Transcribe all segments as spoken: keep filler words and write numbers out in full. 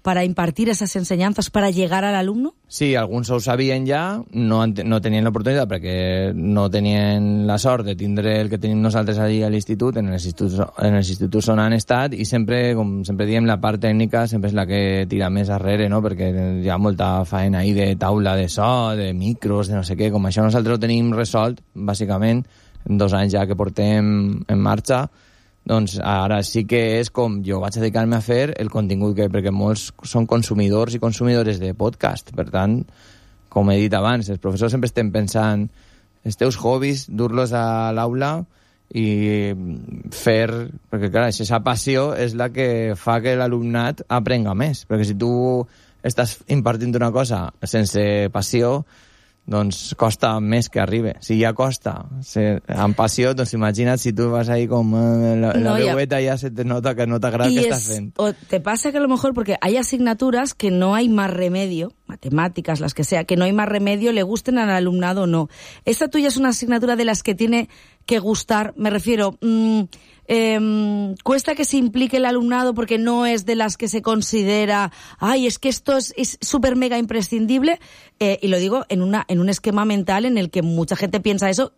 para impartir esas enseñanzas, para llegar al alumno? Sí, alguns ho sabien ja, no, no tenien l'oportunitat perquè no tenien la sort de tindre el que tenim nosaltres allí a l'institut, en els instituts, en els instituts on han estat, i sempre, com sempre diem, la part tècnica sempre és la que tira més arrere, no? Perquè hi ha molta faena ahí de taula de so, de micros, de no sé què, com això nosaltres ho tenim resolt, bàsicament, en dos anys ja que portem en marxa, doncs ara sí que és com jo vaig dedicar-me a fer el contingut, que, perquè molts són consumidors i consumidores de podcast. Per tant, com he dit abans, els professors sempre estem pensant els teus hobbies, dur-los a l'aula i fer... Perquè, clar, aquesta passió és la que fa que l'alumnat aprenga més. Perquè si tu estàs impartint una cosa sense passió, doncs costa més que arribe. Si ja costa, si, amb passió, doncs imagina't si tu vas ahí com eh, la, no, la veueta ya. ya se te nota que no t'agrada el que estás fent. O te pasa que a lo mejor, porque hay asignaturas que no hay más remedio, matemáticas, las que sea, que no hay más remedio, le gusten al alumnado o no. Esta tuya es una asignatura de las que tiene que gustar, me refiero... Mmm, Eh, cuesta que se implique el alumnado porque no es de las que se considera, ay, es que esto es súper mega imprescindible, eh, y lo digo en una en un esquema mental en el que mucha gente piensa eso.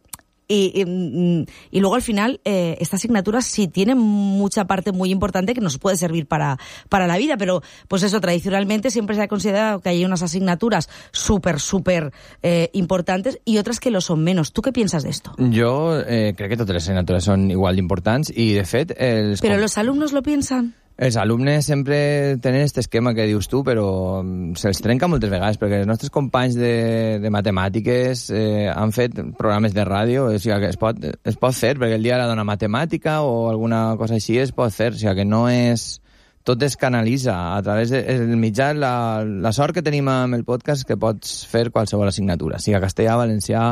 Y, y, y luego al final eh, esta asignatura sí tiene mucha parte muy importante que nos puede servir para, para la vida, pero pues eso, tradicionalmente siempre se ha considerado que hay unas asignaturas súper, súper eh, importantes y otras que lo son menos. ¿Tú qué piensas de esto? Jo eh, crec que totes les assignatures són igual d'importants i, de fet... Els ¿Pero los alumnos lo piensan? Els alumnes sempre tenen aquest esquema que dius tu, però se'ls trenca moltes vegades, perquè els nostres companys de, de matemàtiques eh, han fet programes de ràdio, o sigui que es pot, es pot fer, perquè el dia de la dona matemàtica o alguna cosa així es pot fer, o sigui que no és... Tot es canalitza a través del mitjà. La, la sort que tenim amb el podcast és que pots fer qualsevol assignatura, sigui castellà, valencià,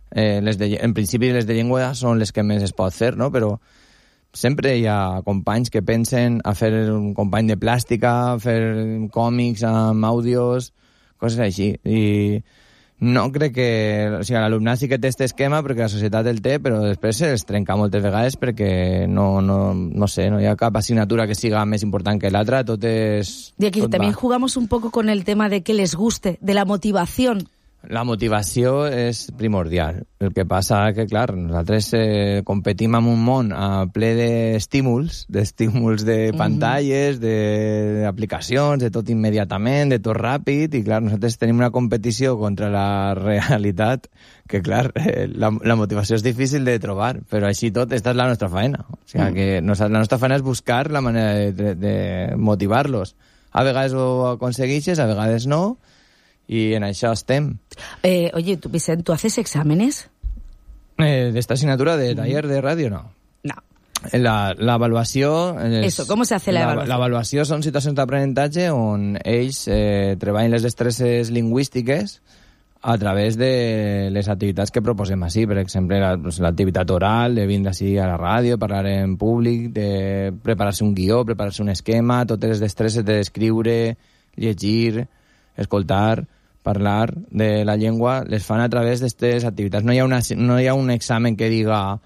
eh, les de, en principi les de llengua són les que més es pot fer, no? Però sempre hi ha companys que pensen a fer un company de plàstica, a fer còmics amb àudios, coses així. I no crec que... O sigui, l'alumnat sí que té aquest esquema perquè la societat el té, però després es trenca moltes vegades perquè no, no, no sé, no hi ha cap assignatura que siga més important que l'altra, tot és... Y aquí tot también va. jugamos un poco con el tema de que les guste, de la motivación. La motivació és primordial. El que passa que, clar, nosaltres eh, competim en un món a ple d'estímuls, d'estímuls de pantalles, mm-hmm. d'aplicacions, de tot immediatament, de tot ràpid, i, clar, nosaltres tenim una competició contra la realitat que, clar, eh, la, la motivació és difícil de trobar, però així tot, esta és la nostra feina. O sigui, mm. que la nostra feina és buscar la manera de, de, de motivar-los. A vegades ho aconsegueixes, a vegades no, y en això estem. Eh, oye, tú, Vicent, ¿tú haces exámenes? Eh, ¿D'esta asignatura de taller de ràdio? No. No. La, la evaluació... És, Eso, ¿cómo se hace la, la evaluació? L'avaluació són situacions d'aprenentatge on ells eh, treballen les destreses lingüístiques a través de les activitats que proposem així. Per exemple, la, pues, l'activitat oral, de vindre així a la ràdio, parlar en públic, de preparar-se un guió, preparar-se un esquema, totes les destreses d'escriure, llegir, escoltar, parlar de la llengua, les fan a través d'aquestes activitats. No hi ha, una, no hi ha un examen que diga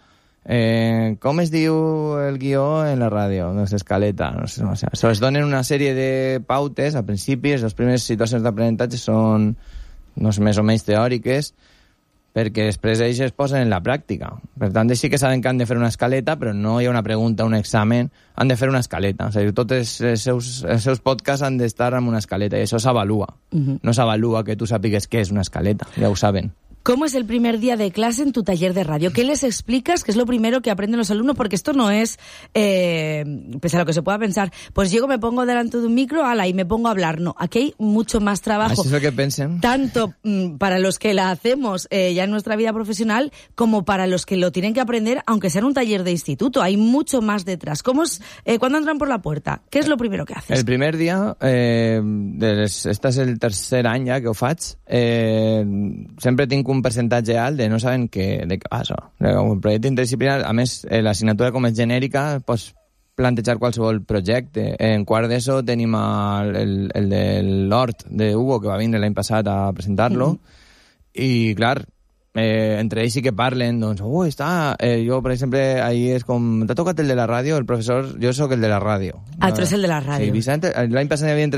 eh, com es diu el guió en la ràdio, no és escaleta, no sé, no sé. Se les donen una sèrie de pautes al principi, les primeres situacions d'aprenentatge són no sé, més o menys teòriques, perquè després ells es posen en la pràctica. Per tant, sí que saben que han de fer una escaleta, però no hi ha una pregunta, un examen, han de fer una escaleta. O sigui, tots els seus, els seus podcasts han d'estar amb una escaleta, i això s'avalua. Uh-huh. No s'avalua que tu sàpigues què és una escaleta, ja ho saben. ¿Cómo es el primer día de clase en tu taller de radio? ¿Qué les explicas? ¿Qué es lo primero que aprenden los alumnos? Porque esto no es, eh, pese a lo que se pueda pensar, pues llego, me pongo delante de un micro, ala, y me pongo a hablar. No, aquí hay mucho más trabajo. Así es lo que pensen. Tanto mm, para los que la hacemos eh, ya en nuestra vida profesional, como para los que lo tienen que aprender, aunque sea en un taller de instituto. Hay mucho más detrás. ¿Cómo es, eh, cuando entran por la puerta? ¿Qué es lo primero que haces? El primer dia, eh, des, este és el tercer any ja que ho faig, eh, sempre tinc un percentatge alt de no saben què, de què va això. Un projecte interdisciplinari, a més, eh, l'assignatura com és genèrica, pots plantejar qualsevol projecte. En quart d'ESO tenim el, el, el de l'Hort de Hugo, que va vindre l'any passat a presentar-lo, mm-hmm. i, clar, eh, entre ells sí que parlen, doncs, ui, està... Eh, jo, per exemple, ahir és com... T'ha tocat el de la ràdio? El professor... Jo sóc el de la ràdio. Ah, tu eres el de la ràdio. Sí, Vicent, l'any passat hi havia entre